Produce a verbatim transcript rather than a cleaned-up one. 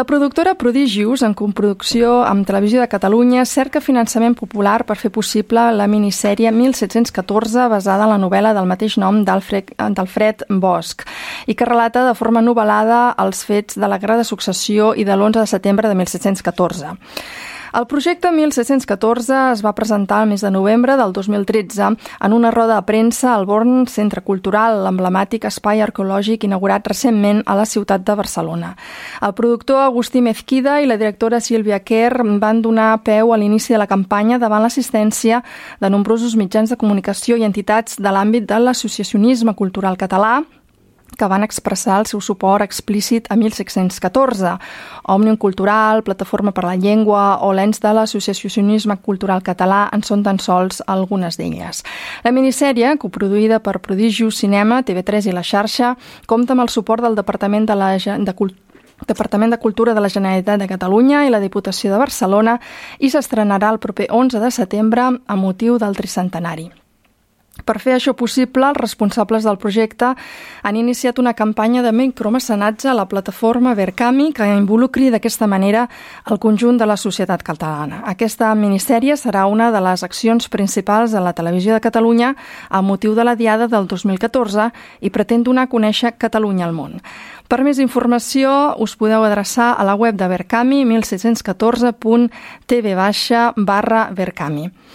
La productora Prodigious, en coproducció amb Televisió de Catalunya, cerca finançament popular per fer possible la minissèrie mil set-cents catorze basada en la novel·la del mateix nom d'Alfred Bosch i que relata de forma novel·lada els fets de la Guerra de Successió i de l'onze de setembre de mil set-cents catorze. El projecte mil set-cents catorze es va presentar el mes de novembre del dos mil tretze en una roda de premsa al Born Centre Cultural, l'emblemàtic espai arqueològic inaugurat recentment a la ciutat de Barcelona. El productor Agustí Mezquida i la directora Sílvia Kerr van donar peu a l'inici de la campanya davant l'assistència de nombrosos mitjans de comunicació i entitats de l'àmbit de l'associacionisme cultural català que van expressar el seu suport explícit a mil set-cents catorze. Òmnium Cultural, Plataforma per la Llengua o l'ens de l'associacionisme cultural català en són tan sols algunes d'elles. La minissèrie, coproduïda per Prodigious Cinema, T V tres i La Xarxa, compta amb el suport del Departament de, la, de Cultura Departament de Cultura de la Generalitat de Catalunya i la Diputació de Barcelona i s'estrenarà el proper onze de setembre a motiu del tricentenari. Per fer això possible, els responsables del projecte han iniciat una campanya de micromecenatge a la plataforma Verkami que involucri d'aquesta manera el conjunt de la societat catalana. Aquesta minissèrie serà una de les accions principals de la Televisió de Catalunya a motiu de la Diada del dos mil catorze i pretén donar a conèixer Catalunya al món. Per més informació us podeu adreçar a la web de Verkami mil set-cents catorze punt tv barra Verkami.